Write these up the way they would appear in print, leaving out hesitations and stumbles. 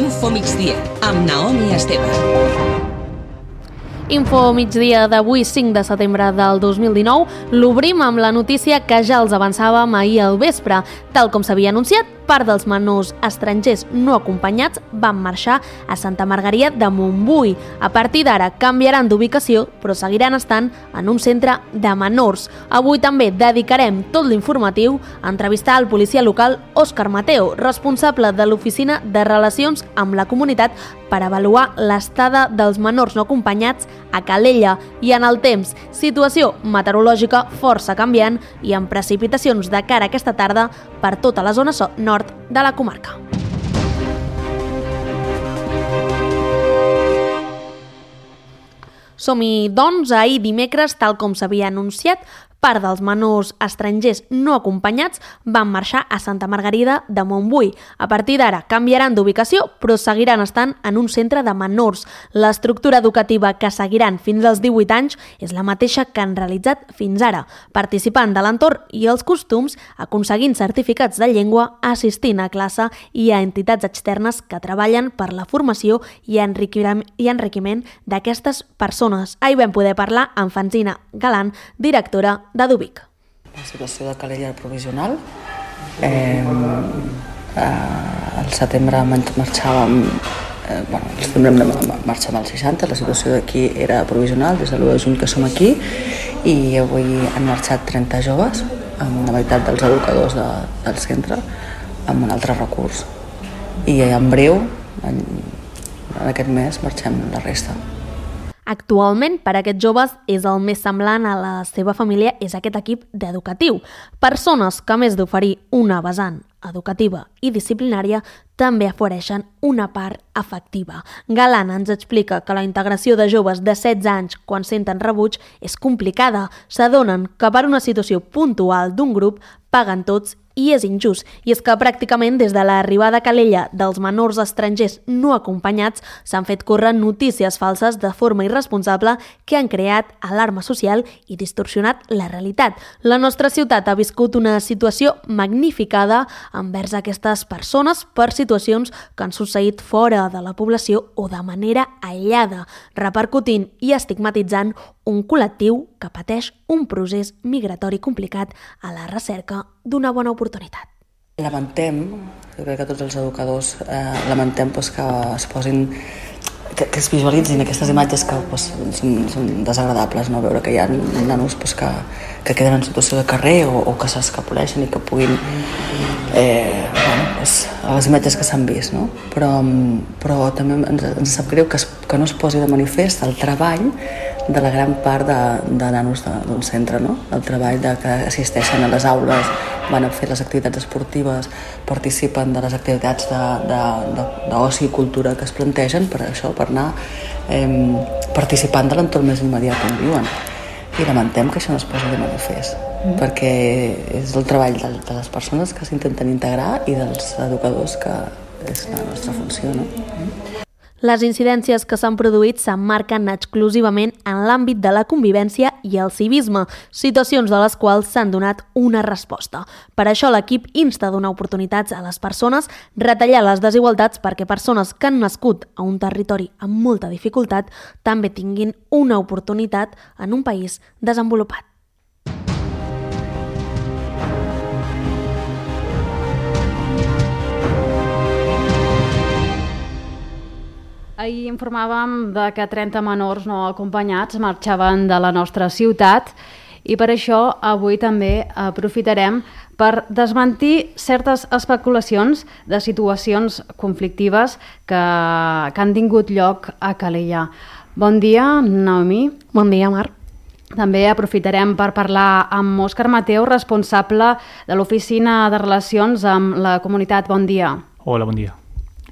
Info Migdia, amb Naomi Esteve. Info Migdia d'avui, 5 de setembre del 2019, l'obrim amb la notícia que ja els avançàvem ahir al vespre. Tal com s'havia anunciat, part dels menors estrangers no acompanyats van marxar a Santa Margarida de Montbui. A partir d'ara canviaran d'ubicació, però seguiran estant en un centre de menors. Avui també dedicarem tot l'informatiu a entrevistar el policia local Òscar Mateo, responsable de l'Oficina de Relacions amb la Comunitat, per avaluar l'estada dels menors no acompanyats a Calella. I en el temps, situació meteorològica força canviant i amb precipitacions de cara a aquesta tarda per tota la zona nord de la comarca. Som-hi, doncs, ahir dimecres, tal com s'havia anunciat, part dels menors estrangers no acompanyats van marxar a Santa Margarida de Montbui. A partir d'ara canviaran d'ubicació, però seguiran estant en un centre de menors. L'estructura educativa que seguiran fins als 18 anys és la mateixa que han realitzat fins ara, participant de l'entorn i els costums, aconseguint certificats de llengua, assistint a classe i a entitats externes que treballen per la formació i enriquiment d'aquestes persones. Ahir vam poder parlar amb Francina Galant, directora de Dubic. La situació de Calella provisional. Al setembre marxàvem, marxàvem al 60, la situació d'aquí era provisional, des de l'1 de juny que som aquí, i avui han marxat 30 joves, amb la meitat dels educadors del centre, amb un altre recurs. I en breu, en aquest mes, marxem la resta. Actualment, per a aquests joves, és el més semblant a la seva família és aquest equip d'educatiu. Persones que, a més d'oferir una vessant educativa i disciplinària, també ofereixen una part afectiva. Galant ens explica que la integració de joves de 16 anys quan senten rebuig és complicada. S'adonen que per una situació puntual d'un grup paguen tots i és injust. I és que pràcticament des de l'arribada a Calella dels menors estrangers no acompanyats s'han fet córrer notícies falses de forma irresponsable que han creat alarma social i distorsionat la realitat. La nostra ciutat ha viscut una situació magnificada envers aquestes persones per situacions que han succeït fora de la població o de manera aïllada, repercutint i estigmatitzant un col·lectiu que pateix un procés migratori complicat a la recerca d'una bona oportunitat. Lamentem, jo crec que tots els educadors lamentem que es posin, que es visualitzin aquestes imatges que són desagradables, no? Veure que hi ha nanos que queden en situació de carrer o que s'escapoleixen i que puguin les imatges que s'han vist, no? Però també ens sap greu que no es posi de manifest el treball de la gran part de nanos d'un centre, no? El treball que assisteixen a les aules, van a fer les activitats esportives, participen de les activitats d'oci i cultura que es plantegen per això, per anar participant de l'entorn més immediat on viuen. I lamentem que això no es posi de manifest, perquè és el treball de les persones que s'intenten integrar i dels educadors, que és la nostra funció, no? Les incidències que s'han produït s'emmarquen exclusivament en l'àmbit de la convivència i el civisme, situacions de les quals s'han donat una resposta. Per això l'equip insta a donar oportunitats a les persones, retallar les desigualtats perquè persones que han nascut a un territori amb molta dificultat també tinguin una oportunitat en un país desenvolupat. Ahir informàvem que 30 menors no acompanyats marxaven de la nostra ciutat i per això avui també aprofitarem per desmentir certes especulacions de situacions conflictives que han tingut lloc a Calella. Bon dia, Naomi. Bon dia, Mar. També aprofitarem per parlar amb Òscar Mateo, responsable de l'Oficina de Relacions amb la Comunitat. Bon dia. Hola, bon dia.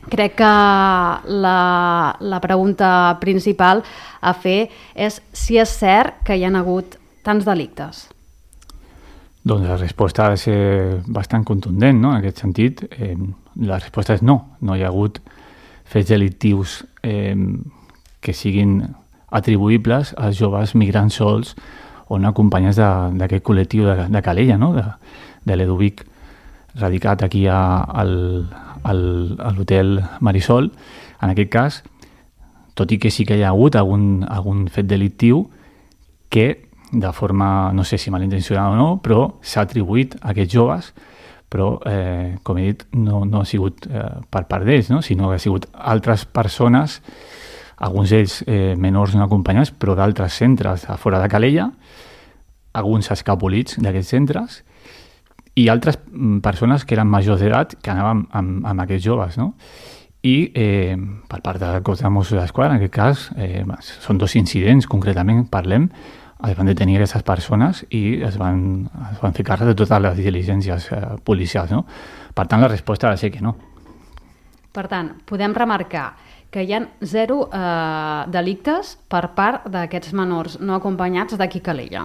Crec que la pregunta principal a fer és si és cert que hi ha hagut tants delictes. Doncs la resposta ha de ser bastant contundent, no? En aquest sentit, la resposta és no. No hi ha hagut fets delictius que siguin atribuïbles als joves migrants sols o no acompanyats d'aquest col·lectiu de Calella, no? De l'Edubic. radicat aquí a l'hotel Marisol, en aquest cas, tot i que sí que hi ha hagut algun fet delictiu que de forma, no sé si malintencionada o no, però s'ha atribuït a aquests joves, però, com he dit, no ha sigut per part d'ells, no? Sinó que ha sigut altres persones, alguns d'ells menors no acompanyats, però d'altres centres a fora de Calella, alguns escapolits d'aquests centres, i altres persones que eren majors d'edat que anaven amb aquests joves, no? I per part del cos de Mossos d'Esquadra, en aquest cas, són 2 incidents, concretament parlem, es van detenir aquestes persones i es van fer càrrec de totes les diligències policials, no? Per tant, la resposta ha de ser que no. Per tant, podem remarcar que hi ha 0 delictes per part d'aquests menors no acompanyats d'aquí Calella.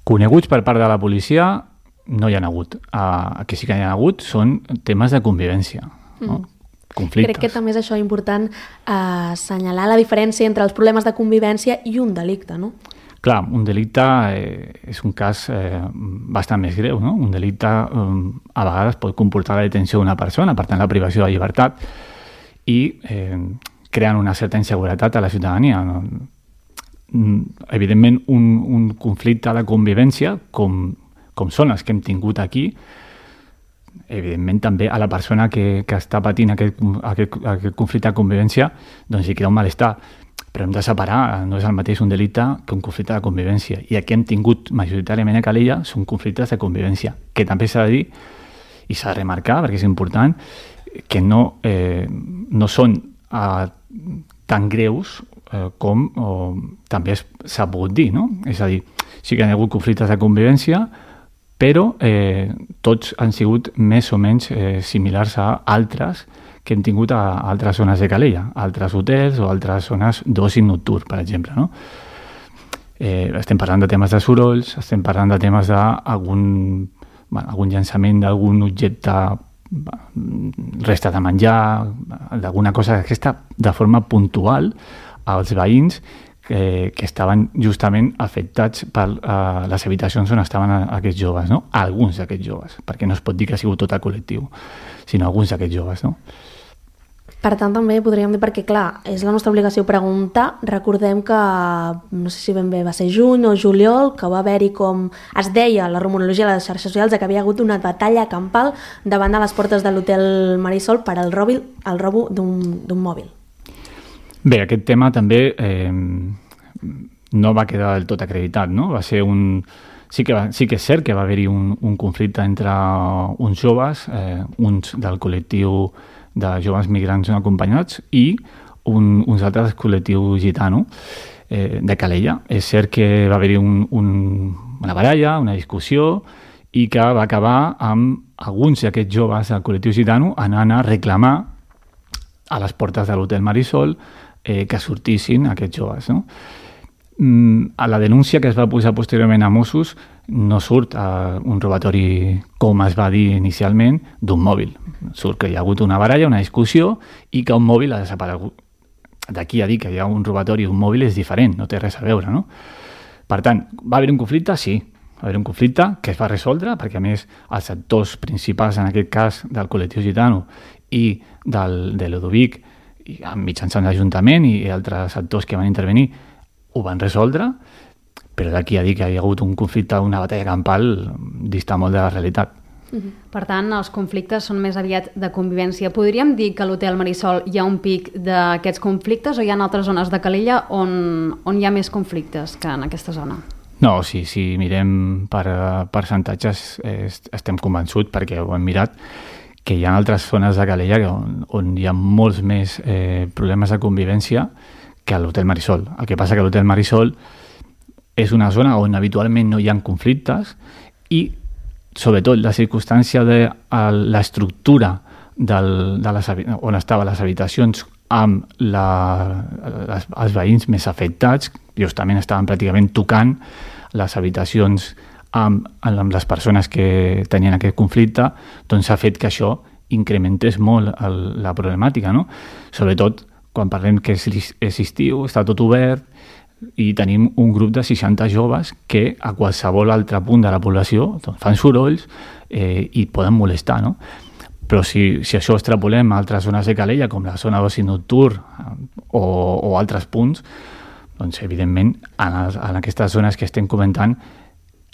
Coneguts per part de la policia no hi ha hagut. Que sí que hi ha hagut són temes de convivència, no? Conflictes. Crec que també és això important, assenyalar la diferència entre els problemes de convivència i un delicte, no? Clar, un delicte és un cas bastant més greu, no? Un delicte a vegades pot comportar la detenció d'una persona, per tant la privació de llibertat, i creen una certa inseguretat a la ciutadania. Evidentment, un conflicte de convivència, com són els que hem tingut aquí, evidentment també a la persona que està patint aquest conflicte de convivència, doncs hi crea un malestar. Però hem de separar, no és el mateix un delicte que un conflicte de convivència. I el que hem tingut majoritàriament a Calella són conflictes de convivència, que també s'ha de dir i s'ha de remarcar, perquè és important, que no són tan greus com també s'ha pogut dir, no? És a dir, sí que hi ha hagut conflictes de convivència, però tots han sigut més o menys similars a altres que hem tingut a altres zones de Calella, altres hotels o altres zones d'oci nocturn, per exemple, no? Estem parlant de temes de sorolls, estem parlant de temes d'algun llançament d'algun objecte, resta de menjar, d'alguna cosa d'aquesta, de forma puntual als veïns que estaven justament afectats per les habitacions on estaven aquests joves, no? Alguns d'aquests joves, perquè no es pot dir que ha sigut tot el col·lectiu, sinó alguns d'aquests joves, no? Per tant, també podríem dir, perquè clar, és la nostra obligació preguntar, recordem que, no sé si ben bé va ser juny o juliol, que va haver-hi, com es deia la rumorologia a les xarxes socials, que havia hagut una batalla campal davant de les portes de l'hotel Marisol per al robo d'un mòbil. Bé, aquest tema també no va quedar del tot acreditat, no? Va ser sí que és cert que va haver-hi un conflicte entre uns joves, uns del col·lectiu de joves migrants no acompanyats i uns altres col·lectiu gitano de Calella. És cert que va haver-hi una baralla, una discussió, i que va acabar amb alguns d'aquests joves del col·lectiu gitano anant a reclamar a les portes de l'hotel Marisol que sortissin aquests joves, no? A la denúncia que es va posar posteriorment a Mossos no surt un robatori, com es va dir inicialment, d'un mòbil. Surt que hi ha hagut una baralla, una discussió, i que un mòbil ha desaparegut. D'aquí a dir que hi ha un robatori d'un mòbil és diferent, no té res a veure, no? Per tant, va haver un conflicte? Sí. Va haver un conflicte que es va resoldre, perquè a més els actors principals, en aquest cas del col·lectiu gitano i de Ludovic, mitjançant l'Ajuntament i altres actors que van intervenir, ho van resoldre, però d'aquí a dir que hi ha hagut un conflicte, una batalla campal, dista molt de la realitat. Per tant, els conflictes són més aviat de convivència. Podríem dir que a l'hotel Marisol hi ha un pic d'aquests conflictes o hi ha altres zones de Calella on hi ha més conflictes que en aquesta zona? No, si mirem per percentatges estem convençuts, perquè ho hem mirat, que hi ha altres zones de Calella on hi ha molts més problemes de convivència que a l'hotel Marisol. El que passa que l'hotel Marisol és una zona on habitualment no hi ha conflictes i, sobretot, la circumstància de l'estructura on estaven les habitacions amb els veïns més afectats, justament estaven pràcticament tocant les habitacions amb les persones que tenien aquest conflicte, doncs ha fet que això incrementés molt la problemàtica, no? Sobretot quan parlem que és estiu, està tot obert, i tenim un grup de 60 joves que a qualsevol altre punt de la població fan sorolls i poden molestar, no? Però si això extrapolem a altres zones de Calella, com la zona d'oci nocturn o altres punts, doncs evidentment en aquestes zones que estem comentant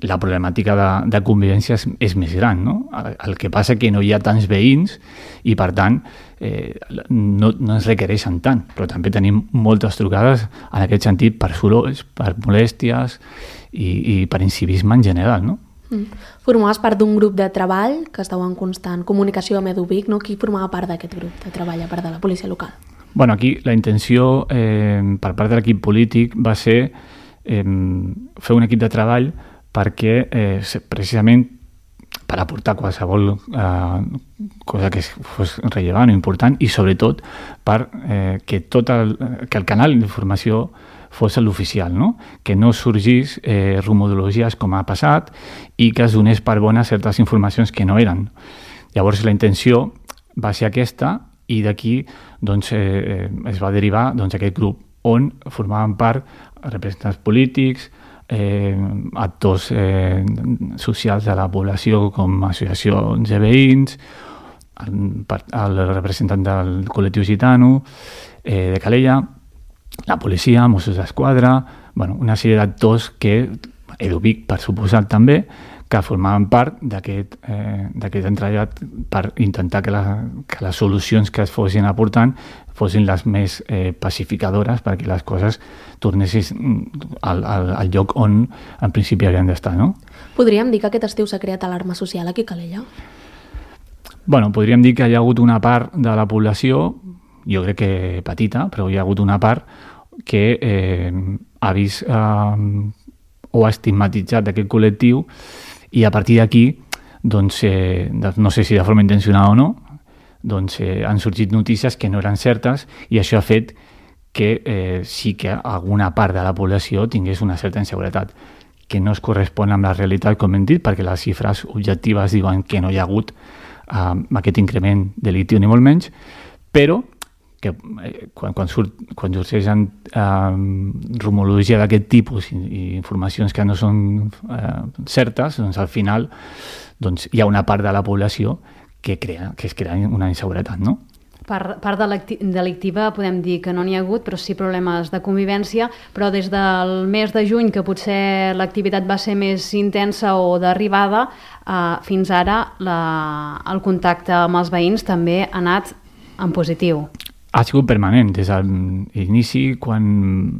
la problemàtica de convivència és més gran, no? El que passa que no hi ha tants veïns i, per tant, no ens requereixen tant, però també tenim moltes trucades en aquest sentit per sorolls, per molèsties i per incivisme en general, no? Formaves part d'un grup de treball que estava en constant comunicació amb EduVic, no? Qui formava part d'aquest grup de treball a part de la policia local? Bueno, aquí la intenció per part de l'equip polític va ser fer un equip de treball perquè precisament per aportar qualsevol cosa que fos rellevant o important i sobretot per que el canal d'informació fos l'oficial, no? Que no sorgís rumorologies com ha passat i que es donés per bones certes informacions que no eren. Llavors la intenció va ser aquesta i d'aquí doncs, es va derivar aquest grup on formaven part representants polítics, actors socials de la població com associacions de veïns, el representant del col·lectiu gitano de Calella, la policia, Mossos d'Esquadra, una sèrie d'actors que, EduVic per suposat també, que formaven part d'aquest entrellat per intentar que les solucions que es fossin aportant fossin les més pacificadores perquè les coses tornessin al lloc on en principi havien d'estar, no? Podríem dir que aquest estiu s'ha creat alarma social aquí a Calella? Bueno, podríem dir que hi ha hagut una part de la població, jo crec que petita, però hi ha hagut una part que ha vist o ha estigmatitzat aquest col·lectiu i a partir d'aquí, doncs, no sé si de forma intencionada o no, doncs han sorgit notícies que no eren certes i això ha fet que sí que alguna part de la població tingués una certa inseguretat, que no es correspon amb la realitat, com hem dit, perquè les xifres objectives diuen que no hi ha hagut aquest increment delictiu ni molt menys, però que quan sorgeixen rumorologia d'aquest tipus i informacions que no són certes, doncs al final hi ha una part de la població que es crea una inseguretat, no? Part delictiva podem dir que no n'hi ha hagut, però sí problemes de convivència, però des del mes de juny, que potser l'activitat va ser més intensa o d'arribada, fins ara el contacte amb els veïns també ha anat en positiu. Ha sigut permanent des de l'inici, quan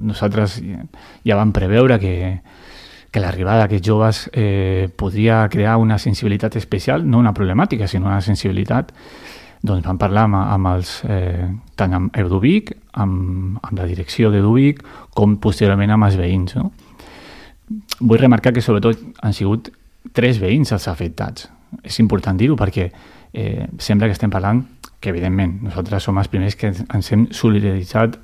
nosaltres ja vam preveure que l'arribada d'aquests joves podria crear una sensibilitat especial, no una problemàtica, sinó una sensibilitat. Doncs vam parlar tant amb EduVic, amb la direcció d'EduVic, com posteriorment amb els veïns, no? Vull remarcar que sobretot han sigut 3 veïns els afectats. És important dir-ho perquè sembla que estem parlant que, evidentment, nosaltres som els primers que ens hem solidaritzat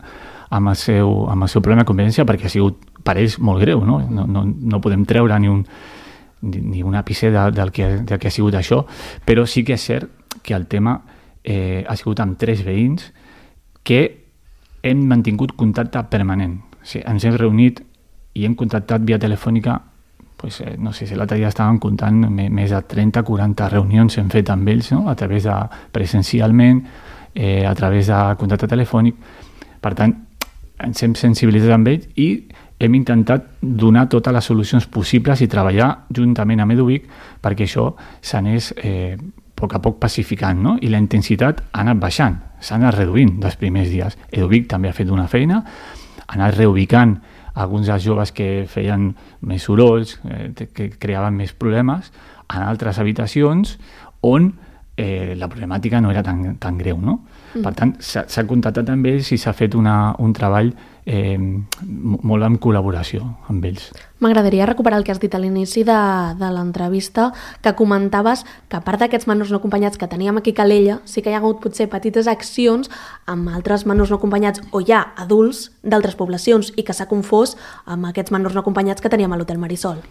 amb el seu problema de convivència perquè ha sigut per ells molt greu, no? No podem treure ni un àpice del que ha sigut això, però sí que és cert que el tema ha sigut amb 3 veïns que hem mantingut contacte permanent. O sigui, ens hem reunit i hem contactat via telefònica, no sé si l'altre dia estàvem comptant més de 30-40 reunions hem fet amb ells, no? A través de presencialment, a través de contacte telefònic. Per tant, ens hem sensibilitzat amb ells i hem intentat donar totes les solucions possibles i treballar juntament amb EduVic perquè això s'anés a poc pacificant, no? I la intensitat ha anat baixant, s'ha anat reduint dels primers dies. EduVic també ha fet una feina, ha anat reubicant alguns dels joves que feien més sorolls, que creaven més problemes, en altres habitacions on la problemàtica no era tan greu, no? Per tant, s'ha contactat amb ells i s'ha fet un treball molt en col·laboració amb ells. M'agradaria recuperar el que has dit a l'inici de l'entrevista, que comentaves que a part d'aquests menors no acompanyats que teníem aquí a Calella, sí que hi ha hagut potser petites accions amb altres menors no acompanyats o ja adults d'altres poblacions i que s'ha confós amb aquests menors no acompanyats que teníem a l'Hotel Marisol.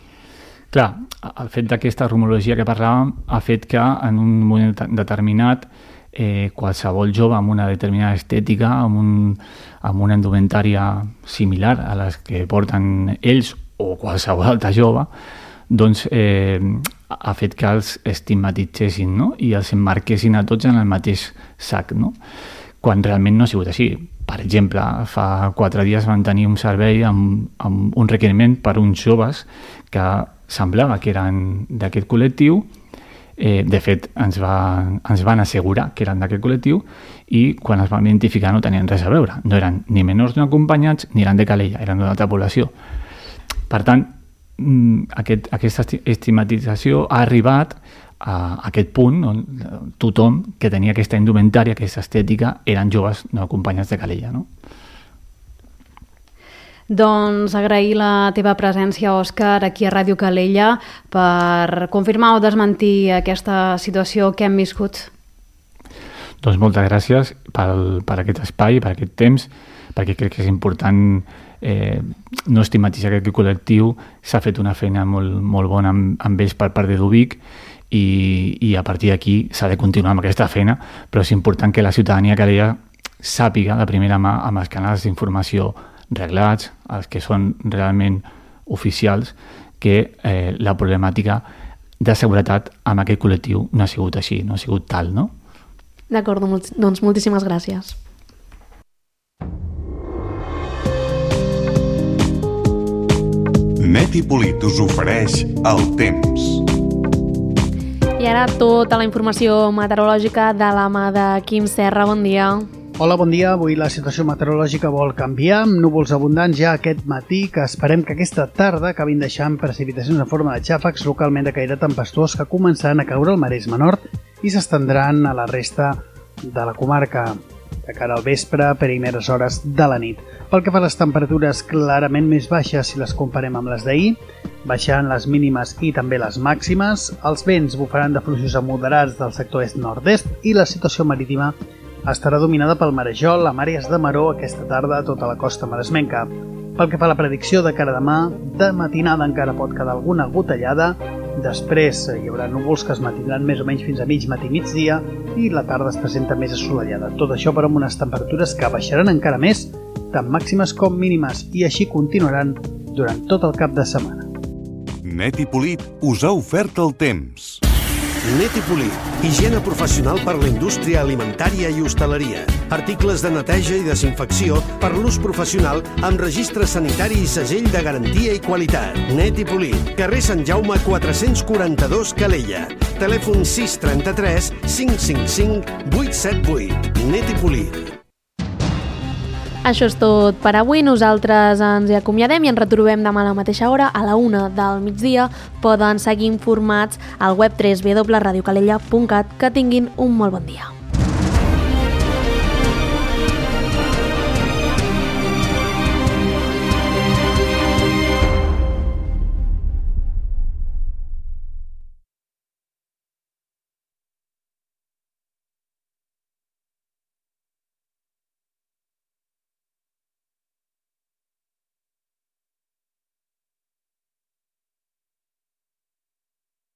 Clar, el fet d'aquesta rumorologia que parlàvem ha fet que en un moment determinat qualsevol jove amb una determinada estètica, amb una indumentària similar a les que porten ells o qualsevol altre jove, doncs ha fet que els estigmatitzessin, no? I els emmarquessin a tots en el mateix sac, no? Quan realment no ha sigut així. Per exemple, fa 4 dies van tenir un servei amb un requeriment per uns joves que semblava que eren d'aquest col·lectiu. De fet, ens van assegurar que eren d'aquest col·lectiu i quan es van identificar no tenien res a veure. No eren ni menors no acompanyats ni eren de Calella, eren d'una altra població. Per tant, aquesta estigmatització ha arribat a aquest punt on tothom que tenia aquesta indumentària, aquesta estètica, eren joves no acompanyats de Calella, no? Doncs agrair la teva presència, Òscar, aquí a Ràdio Calella per confirmar o desmentir aquesta situació que hem viscut. Doncs moltes gràcies per aquest espai, per aquest temps, perquè crec que és important no estigmatitzar aquest col·lectiu. S'ha fet una feina molt bona amb ells per part de Dubic i a partir d'aquí s'ha de continuar amb aquesta feina, però és important que la ciutadania que Calella sàpiga de primera mà amb els canals d'informació reglats, els que són realment oficials, que la problemàtica de seguretat amb aquest col·lectiu no ha sigut així, no ha sigut tal, no? D'acord, doncs moltíssimes gràcies. Net i Polit us ofereix el temps. I ara tota la informació meteorològica de la mà de Quim Serra. Bon dia. Hola, bon dia. Avui la situació meteorològica vol canviar, amb núvols abundants ja aquest matí, que esperem que aquesta tarda acabin deixant precipitacions en forma de xàfecs localment de caire tempestuós que començaran a caure al Maresme Nord i s'estendran a la resta de la comarca de cara al vespre, primeres hores de la nit. Pel que fa a les temperatures clarament més baixes si les comparem amb les d'ahir, baixant les mínimes i també les màximes, els vents bufaran de fluixos a moderats del sector est-nord-est i la situació marítima estarà dominada pel marejol amb àrees de maró aquesta tarda a tota la costa maresmenca. Pel que fa a la predicció de cara a demà, de matinada encara pot quedar alguna gotellada, després hi haurà núvols que es mantindran més o menys fins a mig matí i migdia i la tarda es presenta més assolellada. Tot això però amb unes temperatures que baixaran encara més, tant màximes com mínimes, i així continuaran durant tot el cap de setmana. Net i Polit us ha ofert el temps. Net i Polit, higiene professional per la indústria alimentària i hostaleria. Articles de neteja i desinfecció per l'ús professional amb registre sanitari i segell de garantia i qualitat. Net i Polit, carrer Sant Jaume 442 Calella. Telèfon 633 555 878. Net i Polit. Això és tot per avui. Nosaltres ens hi acomiadem i ens retrobem demà a la mateixa hora, a la 1 del migdia. Poden seguir informats al web www.radiocalella.cat. Que tinguin un molt bon dia.